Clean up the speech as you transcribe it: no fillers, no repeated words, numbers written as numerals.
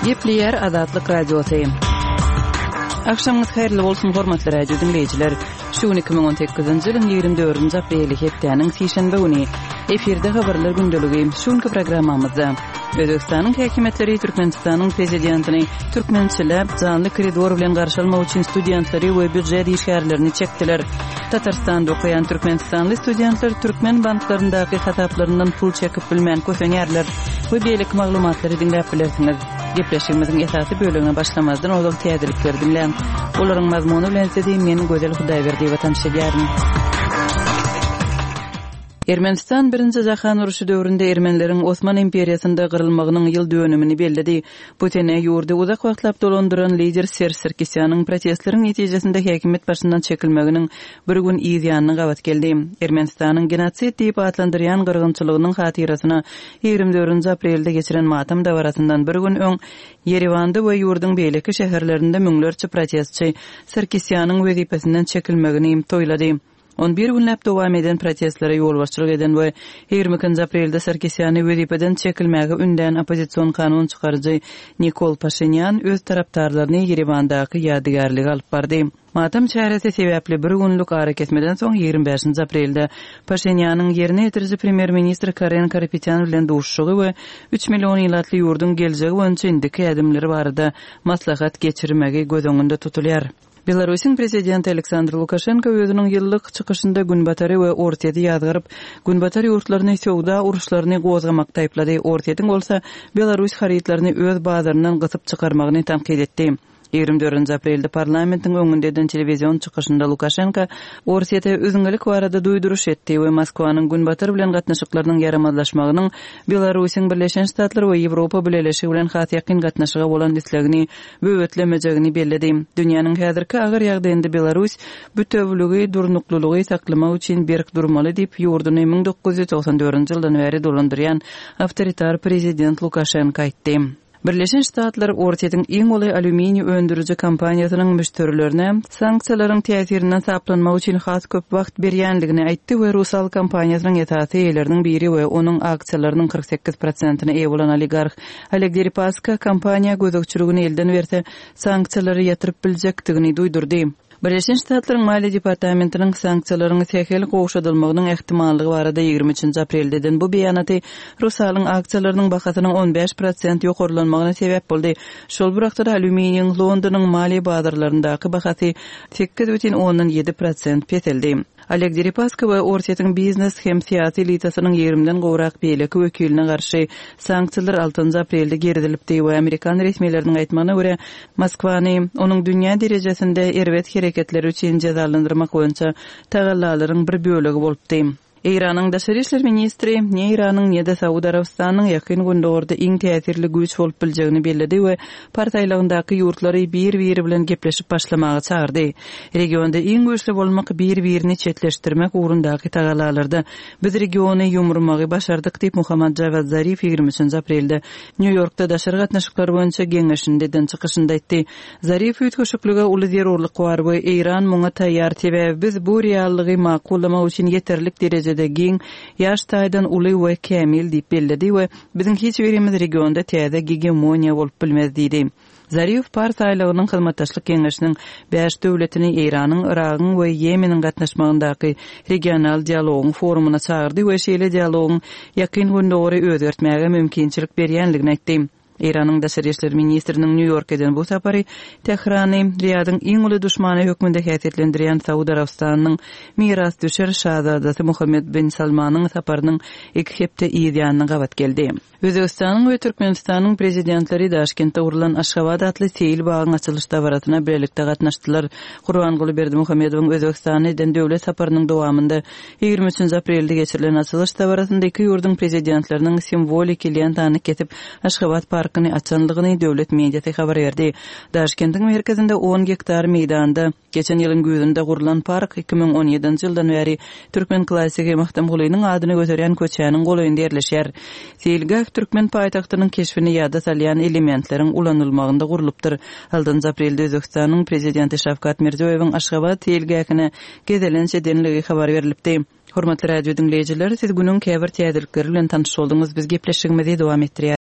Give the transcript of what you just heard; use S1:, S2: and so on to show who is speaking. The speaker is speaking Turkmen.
S1: Gepleýär Azatlyk Radiosy. Agşamyňyz haýyrly bolsun, hormatly radio diňleýjiler. Şu gün 2018-nji ýylyň 24-nji apreli, hepdäniň sişenbe güni. Efirde habarlar gündeligi. Şu günki programmamyzda Özbegistanyň häkimiýetleri Türkmenistanyň prezidentini türkmençiläp janly koridor bilen garşy almak üçin studentleri we býujet işgärlerini çekdiler. Tatarystanda okaýan türkmenistanly studentler türkmen banklaryndaky hasaplaryndan pul çekip bilmän kösenýärler we beýleki maglumatlary diňläp bilersiňiz. Gepleşigimiziň esasy bölegine başlamazdan ozal täzelikleri diňläň. Olaryň mazmuny bilen sizi men Gözel Hudaýberdiýewa tanyş edýärin. Ermenistan Birinji jahan urşy döwründe ermenileriň Osman imperiýasynda gyrylmagynyň ýyl dönümini belledi. Bu sene ýurdy uzak wagtlap dolandyran lider Serž Sarkisýanyň protestleriň netijesinde häkimiýet başyndan çekilmeginiň bir gün yz ýanyna gabat geldi. Ermenistanyň genosid diýip atlandyrýan gyrgynçylygynyň hatyrasyna 24-nji aprelde geçiren matam dabarasyndan bir gün öň Ýerewanda we ýurduň beýleki şäherlerinde müňlerçe protestçi Sarkisýanyň wezipesinden çekilmegini toýlady. On bir günläp dowam eden protestlere ýolbaşçylyk eden we 22-nji aprelde Sarkisýany wezipeden çekilmäge ündän oppozision kanun çykaryjy Nikol Paşinýan öz tarapdarlaryny Ýerewandaky ýadygärlige alyp bardy. Matam çäresi sebäpli bir günlük arakesmeden soň 25-nji aprelde Paşinýanyň ýerine ýetiriji premýer-ministr Karen Karapetýan bilen duşuşygy we üç million ilatly ýurduň geljegi boýunça indiki ädimleri barada maslahat geçirmegi göz öňünde tutulýar. Belarusyň prezidenti Aleksandr Lukaşenko özüniň ýyllyk çykyşynda Günbatary we Orsýeti ýazgaryp, Günbatar ýurtlaryny söwda uruşlaryny gozgamakda aýyplady, Orsýetiň bolsa belarus harytlaryny öz bazaryndan gysyp çykarmagyny tankyt etdi. 24 aprelde parlamentiň öňünde eden telewizion çykyşynda Lukaşenko Orsýete üzňelik barada duýduryş etdi we Moskwanyň Günbatar bilen gatnaşyklarynyň ýaramazlaşmagynyň Belarusyň Birleşen Ştatlar we Ýewropa Bileleşigi bilen has ýakyn gatnaşyga bolan islegini böwetlemejegini belledi. Dünýäniň häzirki agyr ýagdaýynda Belarus bütewüligi, durnuklylygy saklamak üçin berk durmaly diýip, ýurduny 1994-nji ýyldan bäri dolandyrýan awtoritar prezident Lukaşenko aýtdy. Birleşen Ştatlar Orsýetiň iň uly alýuminiý öndüriji kompaniýasynyň müşderilerine sanksiýalaryň täsirinden saplanmak üçin has köp wagt berýändigini aýtdy we Rusal kompaniýasynyň esasy eýeleriniň biri we onuň aksiýalarynyň 48 prosentine eýe bolan oligarh Oleg Deripaska kompaniýa gözegçiligini elden berse, sanksiýalary ýatyryp biljekdigini duýdurdy. Birleşen Ştatlaryň Maliýe departamentiniň sanksiýalaryň sähel gowşadylmagynyň ähtimallygy barada 23-nji aprelde eden bu beýanaty Rusalyň aksiýalarynyň bahasynyň 15 prosent ýokarlanmagyna sebäp boldy. Şol bir wagtda-da alýuminiýiň Londonyň maliýe bazarlaryndaky bahasy 8,7 prosent peseldi. Oleg Deripaska we Orsýetiň biznes hem syýasy elitasynyň ýigrimden gowrak beýleki wekiline garşy sanksiýalar altynjy aprelde girizilipdi we amerikan resmileriniň aýtmagyna görä, Moskwany onuň dünýä derejesinde erbet hereketleri üçin jezalandyrmak boýunça tagallalaryň bir bölegi bolupdy. Eýranyň daşary işler ministri ne Eýranyň, ne-de Saud Arabystanynyň Ýakyn Gündogarda iň täsirli güýç bolup biljegini belledi we Pars aýlagyndaky ýurtlary bir-biri bilen gepleşip başlamaga çagyrdy. Regionda iň güýçli bolmak, bir-birini çetleşdirmek ugrundaky tagallalarda biz regiony ýumurmagy başardyk diýip, Mohammad Jawad Zarif 23-nji aprelde Nýu-Ýorkda daşary gatnaşyklar boýunça geňeşinde eden çykyşynda aýtdy. Zarif üýtgeşiklige uly zerurlyk bar we Eýran muňa taýýar, sebäbi biz bu reallygy makullamak üçin ýeterlik derejede giň, ýaş taýdan uly we kämil diýip belledi we Biziň hiç birimiz regionda täze gegemoniýa bolup bilmez diýdi. Zarif Pars aýlagynyň Hyzmatdaşlyk Geňeşiniň bäş döwletini Eýranyň, Yragyň we Ýemeniň gatnaşmagyndaky regional dialogyň forumyna çagyrdy we şeýle dialogyň Ýakyn Gündogary özgertmäge mümkinçilik berýänligini aýtdy. Eýranyň daşary işler ministriniň Nýu-Ýorka eden bu sapary Tährany Riýadyň iň uly duşmany hökmünde häsiýetlendirýän Saud Arabystanynyň mirasdüşer şazadasy Muhammed bin Salmanyň saparynyň iki hepde yz ýanyna gabat geldi. Özbegistanyň we Türkmenistanyň Prezidentleri Daşkentde gurlan Aşgabat atly seýil bagyň açylyş dabarasyna bilelikde gatnaşdylar. Gurbanguly Berdimuhamedowyň Özbegistana eden döwlet saparynyň dowamynda 23-nji aprelde geçirilen açylyş dabarasynda iki ýurduň Prezidentleriniň simwoliki lentany kesip, Aşgabat parkyny açandygyny döwlet mediasy habar berdi. Daşkentiň merkezinde on gektar meýdanda Geçen ýylyň güýzünde gurlan park 2017-nji ýyldan bäri türkmen klassigi Magtymgulynyň adyny göterýän köçäniň golaýynda ýerleşýär. Seýilgäh türkmen paýtagtynyň keşbini ýada salýan elementleriň ulanylmagynda gurlupdyr. Altynjy aprelde Özbegistanyň Prezidenti Şawkat Mirziýoýewiň Aşgabat seýilgähine gezelenç edenligi habar berlipdi. Hormatly radio diňleýjiler, siz günüň käbir täzelikleri bilen tanyş bolduňyz. Biz gepleşigimizi dowam etdirýäris.